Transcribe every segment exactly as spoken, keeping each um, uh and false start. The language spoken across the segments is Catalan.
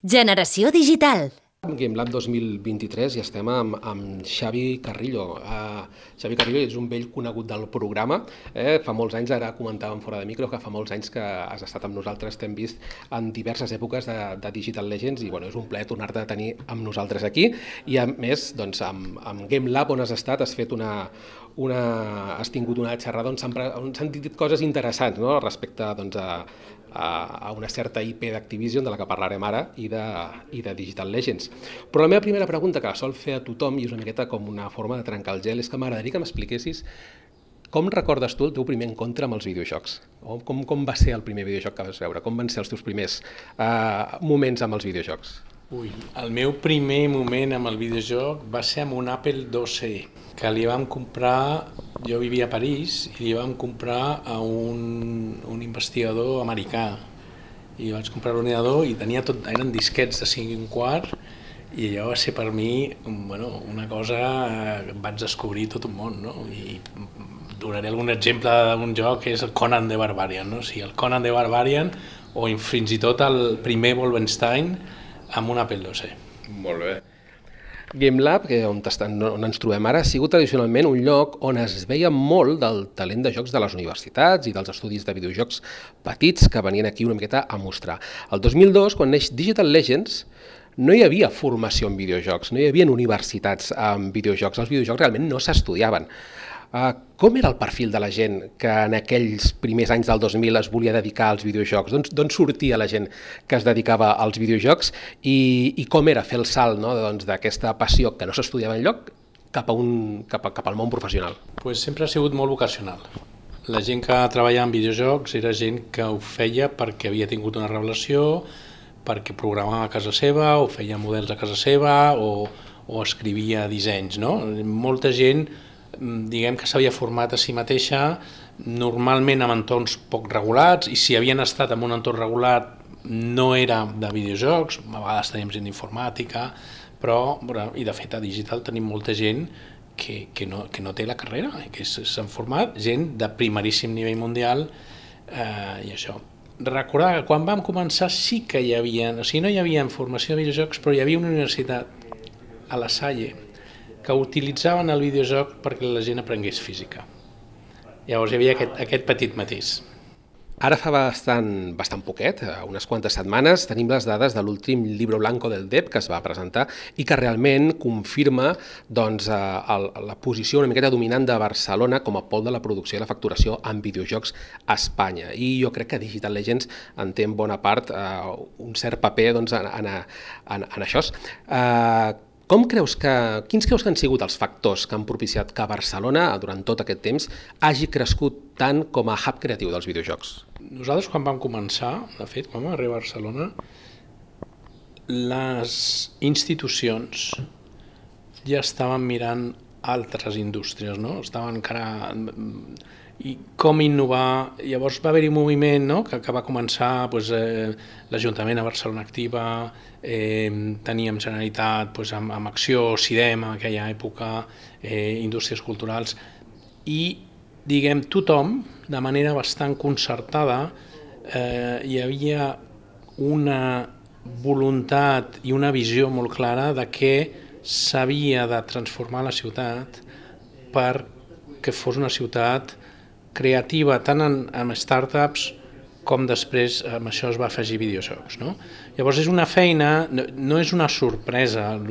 Generació digital. GameLab dos mil vint-i-tres i estem amb, amb Xavi Carrillo. Uh, Xavi Carrillo és un vell conegut del programa. Eh? Fa molts anys, ara comentàvem fora de micro, que fa molts anys que has estat amb nosaltres, t'hem vist en diverses èpoques de, de Digital Legends i bueno, és un plaer tornar-te a tenir amb nosaltres aquí. I a més, doncs, amb, amb GameLab, on has estat, has fet una, una, has tingut una xerrada on s'han dit coses interessants, no? Respecte doncs, a, a una certa I P d'Activision, de la que parlarem ara, i de, i de Digital Legends. Però la meva primera pregunta, que la sol fer a tothom, i és una miqueta com una forma de trencar el gel, és que m'agradaria que m'expliquessis com recordes tu el teu primer encontre amb els videojocs? Com, com va ser el primer videojoc que vas veure? Com van ser els teus primers uh, moments amb els videojocs? Ui, el meu primer moment amb el videojoc va ser amb un Apple dos C, que li vam comprar, jo vivia a París, i li vam comprar a un, un investigador americà. I vaig comprar l'ordinador i tenia tot, eren disquets de cinc i un quart, i allò va ser per mi bueno, una cosa que vaig descobrir tot un món, no? I donaré algun exemple d'un joc que és el Conan the Barbarian, no? O sigui, el Conan the Barbarian o fins i tot el primer Wolfenstein amb un Apple dos C. Molt bé. GameLab, que on, on ens trobem ara, ha sigut tradicionalment un lloc on es veia molt del talent de jocs de les universitats i dels estudis de videojocs petits que venien aquí una miqueta a mostrar. El dos mil dos, quan neix Digital Legends, no hi havia formació en videojocs, no hi havia universitats en videojocs, els videojocs realment no s'estudiaven. Uh, com era el perfil de la gent que en aquells primers anys del dos mil es volia dedicar als videojocs? D'on sortia la gent que es dedicava als videojocs i, i com era fer el salt, no? doncs, d'aquesta passió que no s'estudiava enlloc cap, a un, cap, a, cap al món professional? Pues sempre ha sigut molt vocacional. La gent que treballava en videojocs era gent que ho feia perquè havia tingut una revelació, perquè programava a casa seva o feia models a casa seva o, o escrivia dissenys. No? Molta gent diguem que s'havia format a si mateixa, normalment en entorns poc regulats, i si havien estat en un entorn regulat no era de videojocs, a vegades tenim gent d'informàtica, però, i de fet a Digital tenim molta gent que, que, no, que no té la carrera, que s'han format, gent de primeríssim nivell mundial, eh, i això. Recordar que quan vam començar sí que hi havia, o sigui, no hi havia formació de videojocs, però hi havia una universitat a La Salle que utilitzaven el videojoc perquè la gent aprengués física. Llavors hi havia aquest, aquest petit matís. Ara fa bastant, bastant poquet, unes quantes setmanes, tenim les dades de l'últim Libro Blanco del D E P que es va presentar i que realment confirma doncs, el, la posició una miqueta dominant de Barcelona com a pol de la producció i la facturació en videojocs a Espanya. I jo crec que Digital Legends en té en bona part eh, un cert paper doncs, en, en, en, en això. Eh, Com creus que, quins creus que han sigut els factors que han propiciat que Barcelona, durant tot aquest temps, hagi crescut tant com a hub creatiu dels videojocs? Nosaltres, quan vam començar, de fet, quan vam arribar a Barcelona, les institucions ja estaven mirant altres indústries, no? Estaven encara... I com innovar, llavors va haver-hi un moviment, no? que, que va començar doncs, eh, l'Ajuntament a Barcelona Activa, eh, teníem Generalitat doncs, amb, amb Acció, CIDEM en aquella època, eh, indústries culturals, i diguem tothom, de manera bastant concertada, eh, hi havia una voluntat i una visió molt clara de que s'havia de transformar la ciutat perquè fos una ciutat creativa tant en, en startups com després amb això es va afegir videojocs. No? Llavors és una feina, no, no és una sorpresa el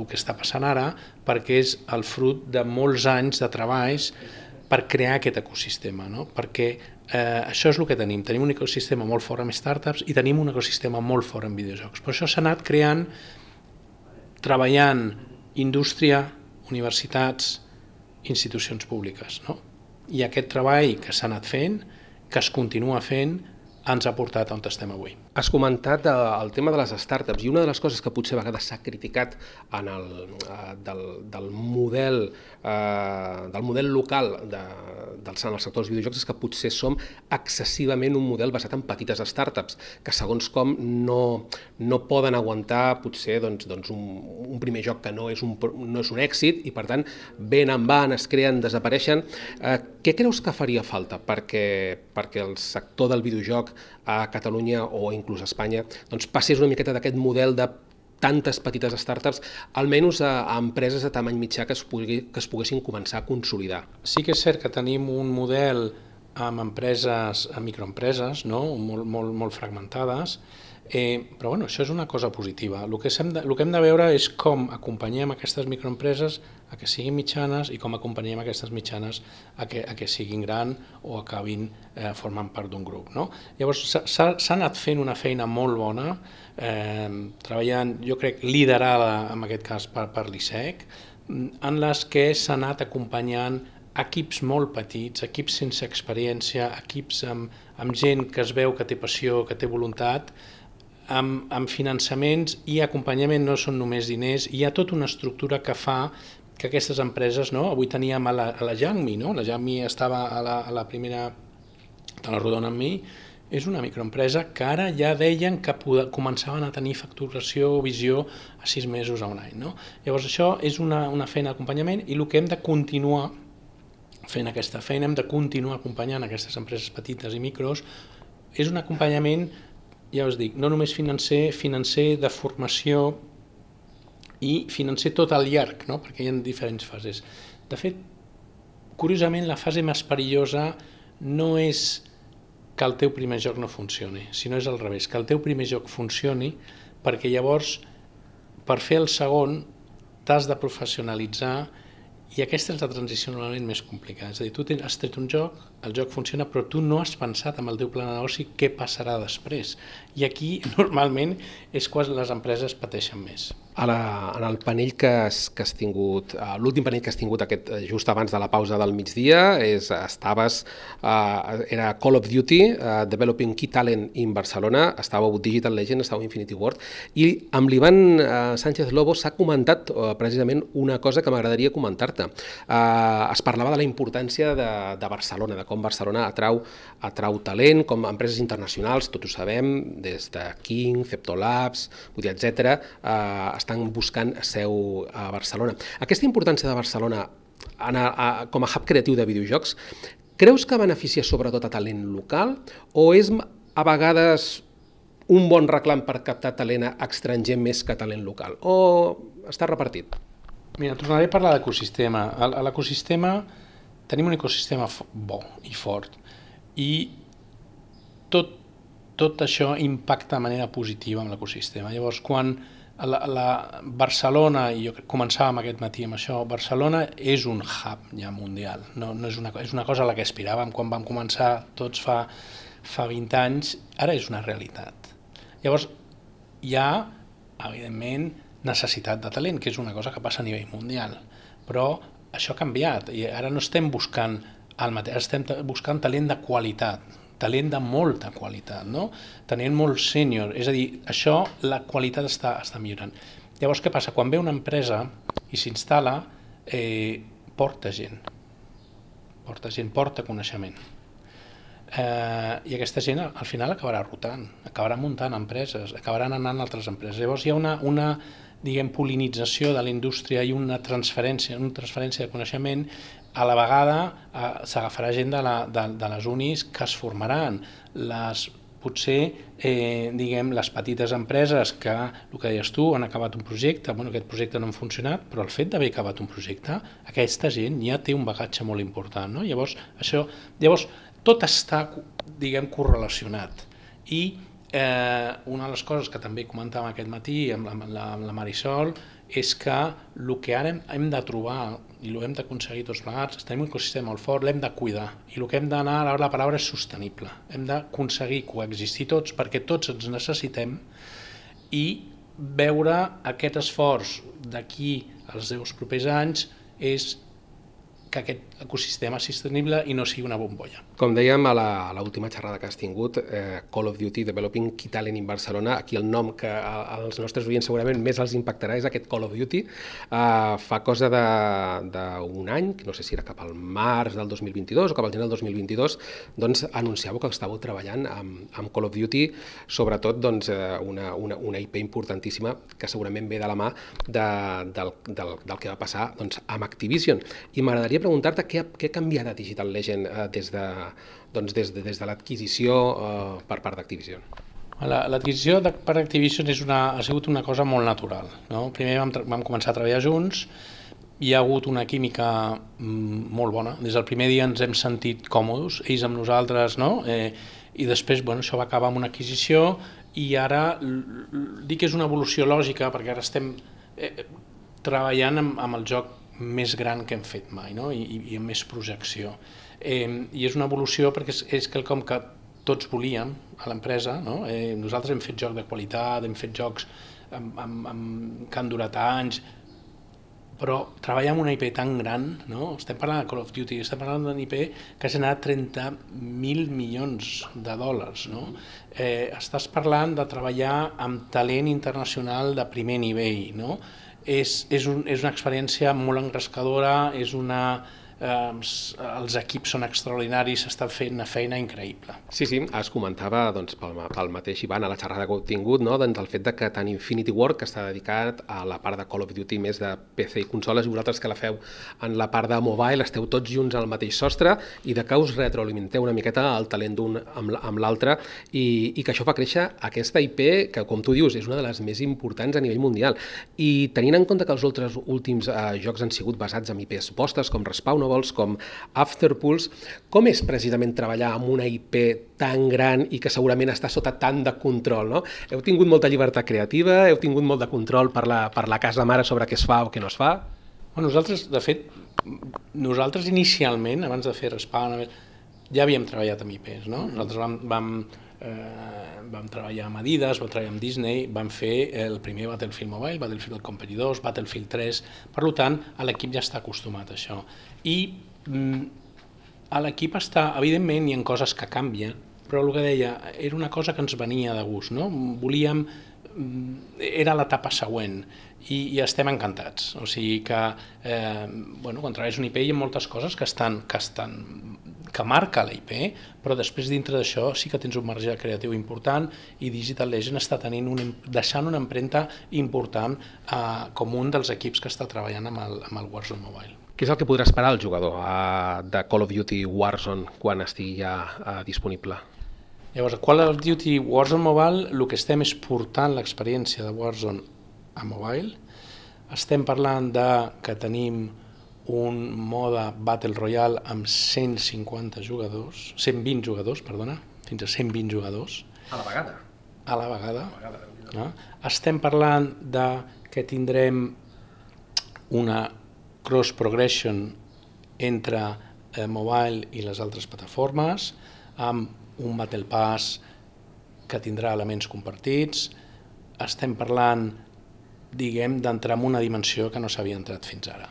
que està passant ara, perquè és el fruit de molts anys de treballs per crear aquest ecosistema, no? Perquè eh, això és el que tenim, tenim un ecosistema molt fort amb startups i tenim un ecosistema molt fort en videojocs. Per això s'ha anat creant, treballant indústria, universitats, institucions públiques, no? I aquest treball que s'ha anat fent, que es continua fent, ens ha portat on estem avui. Has comentat el tema de les startups i una de les coses que potser a vegades s'ha criticat en el, del, del, model, eh, del model local de, del, en el sector dels videojocs és que potser som excessivament un model basat en petites startups que segons com no, no poden aguantar potser doncs, doncs un, un primer joc que no és un, no és un èxit i per tant ben en van, es creen, desapareixen. Eh, què creus que faria falta perquè, perquè el sector del videojoc a Catalunya o inclús a Espanya, doncs passés una miqueta d'aquest model de tantes petites startups, almenys a, a empreses de tamany mitjà que es, pugui, que es poguessin començar a consolidar. Sí que és cert que tenim un model amb empreses, amb microempreses, no? molt, molt, molt fragmentades, eh, però bueno, això és una cosa positiva. El que, hem de, el que hem de veure és com acompanyem aquestes microempreses a que siguin mitjanes i com acompanyem aquestes mitjanes a que, a que siguin gran o acabin eh, formant part d'un grup. No? Llavors s'ha anat fent una feina molt bona, eh, treballant, jo crec, liderada en aquest cas per, per l'I S E C, en les que s'ha anat acompanyant equips molt petits, equips sense experiència, equips amb, amb gent que es veu que té passió, que té voluntat, amb, amb finançaments i acompanyament. No són només diners, hi ha tota una estructura que fa que aquestes empreses, no? Avui teníem a la, a la Jangmi, no? La Jangmi estava a la, a la primera de la rodona amb mi, és una microempresa que ara ja deien que començaven a tenir facturació o visió a sis mesos a un any. No? Llavors això és una, una feina d'acompanyament i el que hem de continuar fent aquesta feina, hem de continuar acompanyant aquestes empreses petites i micros, és un acompanyament, ja us dic, no només financer, financer de formació i financer tot al llarg, no? Perquè hi ha diferents fases. De fet, curiosament, la fase més perillosa no és que el teu primer joc no funcioni, sinó és al revés, que el teu primer joc funcioni, perquè llavors, per fer el segon, t'has de professionalitzar i aquesta és la transició normalment més complicada. És a dir, tu has tret un joc, el joc funciona, però tu no has pensat amb el teu pla de negoci què passarà després. I aquí, normalment, és quan les empreses pateixen més. A la, en el panell que has, que has tingut, l'últim panell que has tingut aquest, just abans de la pausa del migdia, és, estaves, uh, era Call of Duty, uh, Developing Key Talent in Barcelona, estàveu Digital Legend, estàveu Infinity Ward, i amb l'Ivan uh, Sánchez Lobo s'ha comentat uh, precisament una cosa que m'agradaria comentar-te. Uh, es parlava de la importància de, de Barcelona, de com Barcelona atrau, atrau talent, com empreses internacionals, tots ho sabem, des de King, Ceptolabs, etcètera, uh, estan buscant seu a Barcelona. Aquesta importància de Barcelona a, a, com a hub creatiu de videojocs, creus que beneficia sobretot a talent local o és a vegades un bon reclam per captar talent estranger més que talent local? O està repartit? Mira, tornaré a parlar d'ecosistema. A l'ecosistema tenim un ecosistema bo i fort i tot, tot això impacta de manera positiva en l'ecosistema. Llavors, quan La, la Barcelona, i jo començàvem aquest matí amb això, Barcelona és un hub ja mundial, no, no és, una, és una cosa a la que aspiràvem quan vam començar tots fa, fa vint anys, ara és una realitat. Llavors hi ha, evidentment, necessitat de talent, que és una cosa que passa a nivell mundial, però això ha canviat i ara no estem buscant el mateix, estem buscant talent de qualitat, talent de molta qualitat, no? Talent molt sènior, és a dir, això, la qualitat està, està millorant. Llavors, què passa? Quan ve una empresa i s'instal·la, eh, porta gent, porta gent, porta coneixement. Eh, I aquesta gent al final acabarà rotant, acabarà muntant empreses, acabaran anant a altres empreses. Llavors hi ha una, una diguem, pol·linització de la indústria i una transferència, una transferència de coneixement. A la vegada eh, s'agafarà gent de, la, de, de les unis que es formaran, les, potser eh, diguem, les petites empreses que, el que deies tu, han acabat un projecte, bueno, aquest projecte no ha funcionat, però el fet d'haver acabat un projecte, aquesta gent ja té un bagatge molt important. No? Llavors, això, llavors, tot està, diguem, correlacionat. I eh, una de les coses que també comentàvem aquest matí amb la, amb la, amb la Marisol és que el que ara hem, hem de trobar i l'hem d'aconseguir tots plegats, tenim un ecosistema molt fort, l'hem de cuidar i el que hem d'anar, ara la paraula és sostenible, hem d'aconseguir coexistir tots perquè tots ens necessitem i veure aquest esforç d'aquí als deu propers anys és que aquest ecosistema és sostenible i no sigui una bombolla. Com dèiem a l'última xerrada que has tingut, eh, Call of Duty Developing Key Talent in Barcelona, aquí el nom que als nostres oients segurament més els impactarà és aquest Call of Duty. Eh, fa cosa d'un any, no sé si era cap al març del dos mil vint-i-dos o cap al gener del dos mil vint-i-dos, doncs anunciàveu que estàveu treballant amb, amb Call of Duty, sobretot doncs, una, una, una I P importantíssima que segurament ve de la mà de, del, del, del que va passar doncs, amb Activision. I m'agradaria preguntar-te què, què ha canviat a Digital Legend eh, des de, doncs des de, des de l'adquisició eh, per part d'Activision. L'adquisició per Activision és una, ha sigut una cosa molt natural. No? Primer vam, vam començar a treballar junts, hi ha hagut una química molt bona. Des del primer dia ens hem sentit còmodes, ells amb nosaltres, no? eh, i després bueno, això va acabar amb una adquisició i ara dic que és una evolució lògica perquè ara estem eh, treballant amb, amb el joc més gran que hem fet mai, no? I, i amb més projecció. Eh, I és una evolució perquè és, és quelcom que tots volíem a l'empresa, no? eh, nosaltres hem fet joc de qualitat, hem fet jocs amb, amb, amb, que han durat anys, però treballar amb una I P tan gran, no? Estem parlant de Call of Duty, estem parlant d'una I P que ha generat trenta mil milions de dòlars. No? Eh, estàs parlant de treballar amb talent internacional de primer nivell. No? És, és, un, és una experiència molt engrescadora, és una... Eh, els equips són extraordinaris, s'està fent una feina increïble. Sí, sí, es comentava doncs, pel, pel mateix Ivan a la xerrada que heu tingut, no? doncs, el fet de que tant Infinity Ward, que està dedicat a la part de Call of Duty més de P C i consoles, i vosaltres que la feu en la part de mobile, esteu tots junts al mateix sostre i de que us retroalimenteu una miqueta el talent d'un amb, amb l'altre i, i que això fa créixer aquesta I P que, com tu dius, és una de les més importants a nivell mundial. I tenint en compte que els altres últims eh, jocs han sigut basats en I Ps postes, com Respawn, com Afterpulse, com és precisament treballar amb una I P tan gran i que segurament està sota tant de control, no? Heu tingut molta llibertat creativa, heu tingut molt de control per la, per la casa mare sobre què es fa o què no es fa? Bueno, nosaltres, de fet, nosaltres inicialment, abans de fer Respawn, ja havíem treballat amb I Ps, no? Nosaltres vam, vam, eh, vam treballar amb Adidas, vam treballar amb Disney, vam fer el primer Battlefield Mobile, Battlefield Company dos, Battlefield tres, per tant, l'equip ja està acostumat a això. I mm, l'equip està, evidentment, hi ha coses que canvien, però el que deia, era una cosa que ens venia de gust, no? Volíem, era l'etapa següent i, i estem encantats. O sigui que, eh, bueno, quan treballes una I P hi ha moltes coses que estan, que estan que marca la I P, però després dintre d'això sí que tens un marge creatiu important i Digital Legends està tenint una, deixant una empremta important eh, com un dels equips que està treballant amb el, amb el Warzone Mobile. Què és el que podrà esperar el jugador uh, de Call of Duty Warzone quan estigui ja uh, disponible? Llavors, a Call of Duty Warzone Mobile el que estem és portant l'experiència de Warzone a mobile. Estem parlant de que tenim un mode Battle Royale amb cent cinquanta jugadors, cent vint jugadors, perdona, fins a cent vint jugadors. A la vegada? A la vegada. A la vegada. No? Estem parlant de que tindrem una cross progression entre eh, mobile i les altres plataformes, amb un Battle Pass que tindrà elements compartits. Estem parlant, diguem, d'entrar en una dimensió que no s'havia entrat fins ara.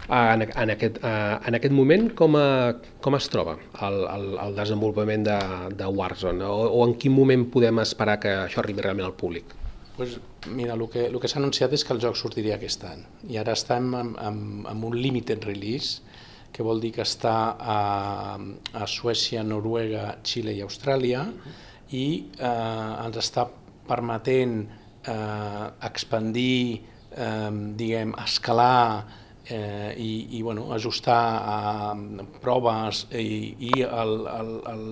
En, en, aquest, en aquest moment, com, a, com es troba el, el, el desenvolupament de, de Warzone? O, o en quin moment podem esperar que això arribi realment al públic? Pues mira, el que, el que s'ha anunciat és que el joc sortiria aquest any i ara estem amb, amb, amb un limited release, que vol dir que està a, a Suècia, Noruega, Xile i Austràlia i eh, ens està permetent eh, expandir, eh, diguem, escalar eh, i, i bueno, ajustar a proves i, i el, el, el,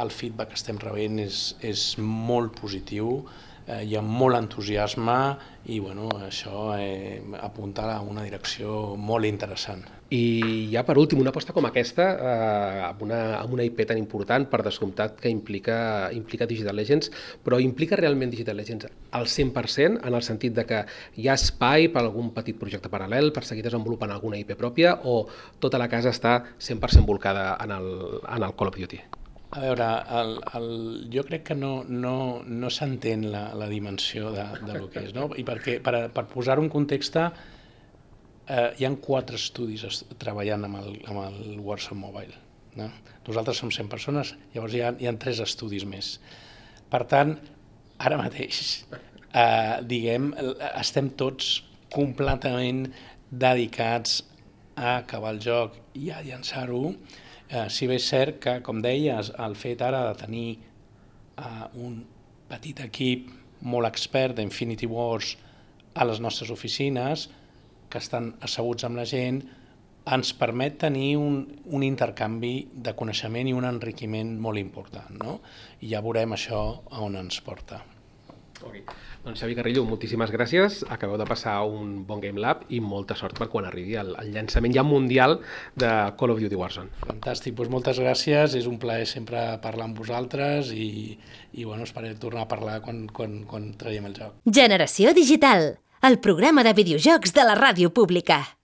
el feedback que estem rebent és, és molt positiu. Eh, hi ha molt entusiasme i bueno, això eh, apunta a una direcció molt interessant. I ja per últim, una aposta com aquesta, eh, amb, una, amb una I P tan important, per descomptat que implica, implica Digital Legends, però implica realment Digital Legends al cent per cent, en el sentit de que hi ha espai per a algun petit projecte paral·lel, per seguir desenvolupant alguna I P pròpia, o tota la casa està cent per cent volcada en el, en el Call of Duty? A veure, el, el, jo crec que no, no, no s'entén la, la dimensió de, de lo que és, no? I perquè, per, per posar-ho en context, eh, hi ha quatre estudis treballant amb el, amb el Warzone Mobile. No? Nosaltres som cent persones, llavors hi ha, hi ha tres estudis més. Per tant, ara mateix, eh, diguem, estem tots completament dedicats a acabar el joc i a llançar-ho. Eh, si bé és cert que, com deies, el fet ara de tenir eh, un petit equip molt expert d'Infinity Wars a les nostres oficines, que estan asseguts amb la gent, ens permet tenir un, un intercanvi de coneixement i un enriquiment molt important, no? I ja veurem això a on ens porta. Okay. Doncs Xavi Carrillo, moltíssimes gràcies. Acabeu de passar un bon Game Lab i molta sort per quan arribi el, el llançament ja mundial de Call of Duty Warzone. Fantàstic, doncs moltes gràcies. És un plaer sempre parlar amb vosaltres i, i bueno, esperem tornar a parlar quan, quan, quan traiem el joc. Generació Digital, el programa de videojocs de la ràdio pública.